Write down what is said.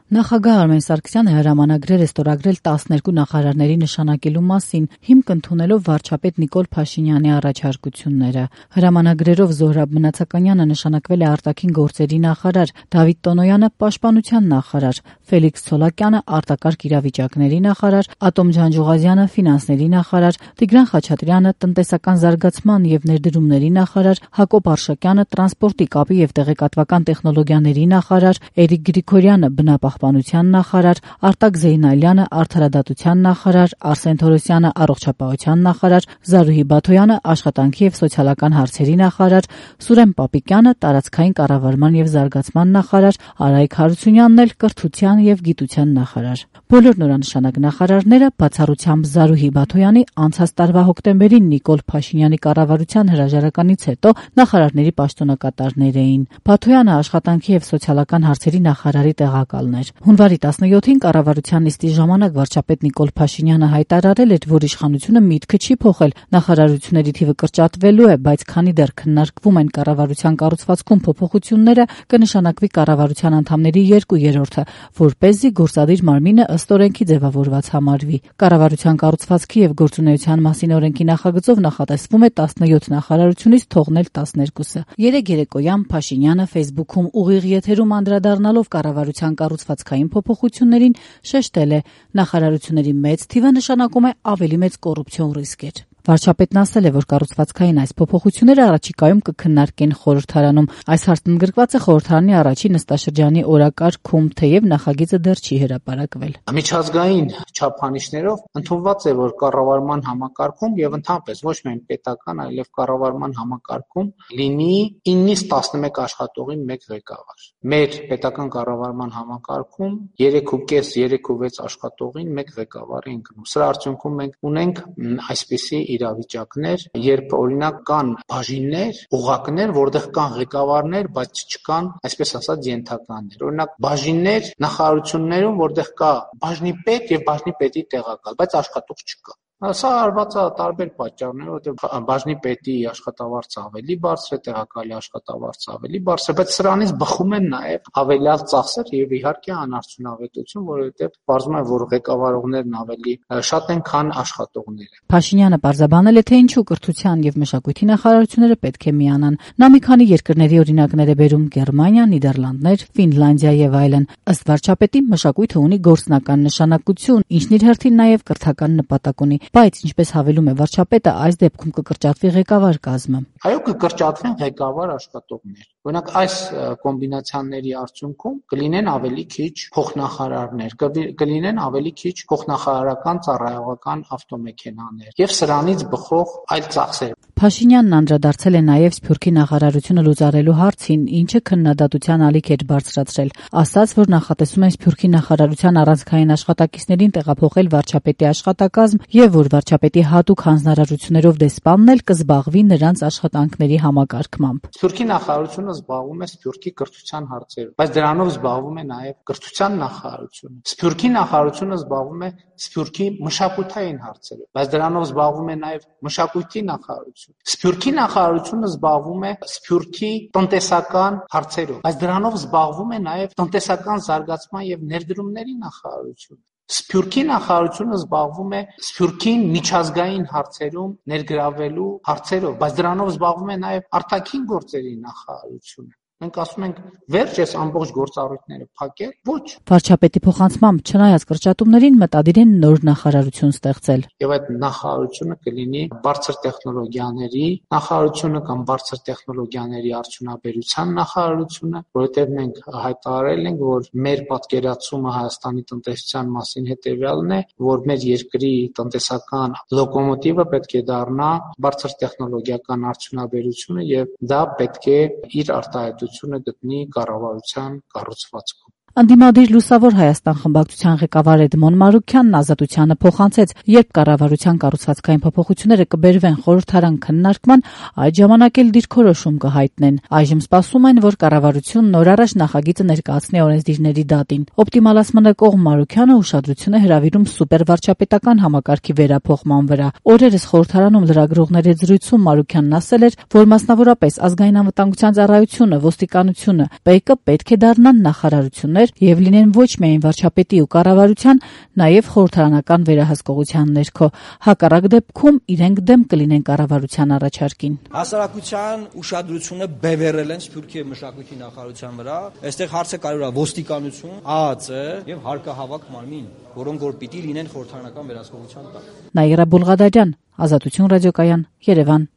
Նախագահ Արմեն Սարգսյանը հրամանագրեր է ստորագրել 12 նախարարների նշանակելու մասին, հիմք ընդունելով վարչապետ Նիկոլ Փաշինյանի առաջարկությունները։ Հրամանագրերով Զոհրաբ Մնացականյանը նշանակվել է արտաքին գործերի նախարար, Դավիթ Տոնոյանը պաշտպանության նախարար, Ֆելիքս Ցոլակյանը արտակարգ իրավիճակների նախարար, Ատոմ Ջանջուղազյանը ֆինանսների նախարար, Տիգրան Խաչատրյանը տնտեսական զարգացման եւ ներդրումների նախարար, Հակոբ Արշակյանը տրանսպորտի, կապի եւ տեղեկատվական տեխնոլոգիաների նախարար, Էրիկ Գրիգորյանը բնապահպանության նախարար, Արտակ Զեյնալյանը արդարադատության նախարար, Արսեն Թորոսյանը առողջապահության նախարար, Զարուհի Բաթոյանը աշխատանքի եւ սոցիալական հարցերի նախարար, Սուրեն Պապիկյանը տարածքային կառավարման եւ զարգացման նախարար, Արայիկ Հարությունյանն էլ կրթության եւ գիտության նախարար։ Բոլոր նորանշանակ նախարարները բացառությամբ Զարուհի Բաթոյանի անցած տարվա հոկտեմբերին Նիկոլ Փաշինյանի կառավարության հրաժարականից հետո նախարարների պաշտոնակատարներ էին։ Բաթոյանը աշխատանքի եւ սոցիալական հարցերի նախարարի տեղակալն էր։ Հունվարի 17-ին կառավարության նիստի ժամանակ վարչապետ Նիկոլ Փաշինյանը հայտարարել էր, որ իշխանությունը միտքը չի փոխել, նախարարությունների թիվը կրճատվելու է, բայց քանի դեռ քննարկվում են կառավարության կառուցվածքում փոփոխությունները, կնշանակվի կառավարության անդամների 2/3-ը, որպեսզի գործադիր մարմինը ըստ օրենքի ձևավորված համարվի։ Կառավարության կառուցվածքի եւ գործունեության մասին օրենքի նախագծով նախատեսվում է 17 նախարարությունից թողնել 12-ը։ Երեկ երեկոյան Փաշինյանը Facebook-ում ուղիղ եթերում անդրադառնալով կառավարության կառուցվածքային փոփոխություններին շեշտել է, նախարարությունների մեծ թիվը նշանակում է ավելի մեծ կոռուպցիոն ռիսկեր։ Վարչապետն ասել է, որ կառուցվածքային այս փոփոխությունները առաջիկայում կքննարկեն խորհրդարանում։ Այս հարցն ընդգրկված է խորհրդարանի առաջին նստաշրջանի օրակարգում, թեև նախագիծը դեռ չի հրապարակվել։ Միջազգային չափանիշներով ընդունված է, որ կառավարման համակարգում եւ ընդհանրապես ոչ միայն պետական, այլև կառավարման համակարգում լինի 9-ից 11 աշխատողին 1 ղեկավար։ Մեր պետական կառավարման համակարգում 3.5-3.6 աշխատողին 1 ղեկավար ենք գնում։ Սրա արդյունքում մենք ունենք այսպիսի իրավիճակներ, երբ օրինակ կան բաժիններ, օղակներ, որտեղ կան ղեկավարներ, բայց չկան, այսպես ասած, ենթականներ։ Օրինակ բաժիններ նախարարություններում, որտեղ կա բաժնի պետ եւ բաժնի պետի տեղակալ, բայց աշխատող չկա։ Սա արված է տարբեր պատճառներով, որտեղ բաժնի պետի աշխատավարձը ավելի բարձր է, տեղակալի աշխատավարձը ավելի բարձր է, բայց սրանից բխում են նաև հավելյալ ծախսեր եւ իհարկե անարդյունավետություն, որովհետեւ պարզվում է, որ ղեկավարողներն ավելի շատ են, քան աշխատողները։ Փաշինյանը պարզաբանել է, թե ինչու կրթության եւ մշակույթի նախարարությունները պետք է միանան։ Նա մի քանի երկրների օրինակներ է բերում՝ Գերմանիա, Նիդերլանդներ, Ֆինլանդիա եւ այլն։ Ըստ վարչապետի, մշակույթը ունի գործնական նշանակություն, ինչն իր հերթին նաև կրթական նպատակ ունի, բայց ինչպես հավելում է վարչապետը, այս դեպքում կկրճատվի ղեկավար կազմը։ Այո, կկրճատվեն ղեկավար աշխատողներ։ Օրինակ այս կոմբինացիաների արդյունքում կլինեն ավելի քիչ փոխնախարարներ, կլինեն ավելի քիչ փոխնախարարական ծառայողական ավտոմեքենաներ եւ սրանից բխող այլ ծախսեր։ Փաշինյանն անդրադարձել է նաև Սփյուռքի նախարարությունը լուծարելու հարցին, ինչը քննադատության ալիք էր բարձրացրել, ասաց, որ նախատեսում են Սփյուռքի նախարարության առանցքային աշխատակիցներին տեղափոխել վարչապետի աշխատակազմ եւ որ վարչապետի հատուկ հանձնարարություններով դեսպանն էլ կզբաղվի նրանց աշխատանքների համակարգմամբ։ Սփյուռքի նախարարությունը զբաղվում է Սփյուռքի կրթության հարցերով, բայց դրանով զբաղվում է նաև կրթության նախարարությունը։ Սփյուռքի նախարարությունը զբաղվում է Սփյուռքի մշակութային հարցերով, բայց դրանով զբաղվում է նաև մշակույթի նախարարությունը։ Սփյուռքի նախարարությունը զբաղվում է Սփյուռքի տնտեսական հարցերով, բայց դրանով զբաղվում է նաև տնտեսական զարգացման եւ ներդրումների նախարարությունը։ Սփյուռքի նախարարությունը զբաղվում է Սփյուռքին միջազգային հարցերում ներգրավելու հարցերով, բայց դրանով զբաղվում է նաև արտաքին գործերի նախարարությունը։ Մենք ասում ենք վերջ այս ամբողջ գործառույթները փակել, ոչ։ Վարչապետի փոխանցմամբ չնայած կրճատումներին մտադիր են նոր նախարարություն ստեղծել։ Եվ այդ նախարարությունը կլինի բարձր տեխնոլոգիաների նախարարությունը կամ բարձր տեխնոլոգիաների արդյունաբերության նախարարությունը, որովհետև մենք հայտարարել ենք, որ մեր պատկերացումը Հայաստանի տնտեսության մասին հետևյալն է, որ մեր երկրի տնտեսական լոկոմոտիվը պետք է դառնա բարձր տեխնոլոգիական արդյունաբերությունը եւ դա պետք է իր արտահայտությունը գտնի կառավարության կառուցվածքում։ Անդիմադիր Լուսավոր Հայաստան խմբակցության ղեկավար Էդմոն Մարուքյանն Ազատությանը փոխանցեց, երբ կառավարության կառուցվածքային փոփոխությունները կբերվեն խորհրդարան քննարկման, այդ ժամանակ էլ դիրքորոշում կհայտնեն։ Այժմ սպասում են, որ կառավարությունն նոր առաջ նախագիծը ներկայացնի օրենսդիրների դատին։ Օպտիմալացմանը կողմ Մարուքյանը ուշադրություն է հրավիրում սուպերվարչապետական համակարգի վերափոխման վրա։ Օրերս խորհրդարանում լրագրողների հետ զրույցում Մարուքյանն ասել էր, որ մասնավորապես ազգային անվտանգության ծառայությունը, ոստիկանությունը, ՊԵԿ-ը պետք է դառնան նախարարություններ, ղեկավարներ եւ լինեն ոչ միայն վարչապետի ու կառավարության, նաեւ խորհրդարանական վերահսկողության ներքո։ Հակառակ դեպքում իրենք դեմ կլինեն կառավարության առաջարկին։ Հասարակության ուշադրությունը բևեռել են Սփյուռքի եւ մշակույթի նախարարության վրա։ Այստեղ հարցը կարևոր է ոստիկանություն, ԱԱԾ եւ հարկահավաք մարմին, որոնք որ պիտի լինեն խորհրդարանական վերահսկողության տակ։ Նաիրա Բուլղադարյան, Ազատություն ռադիոկայան, Երևան։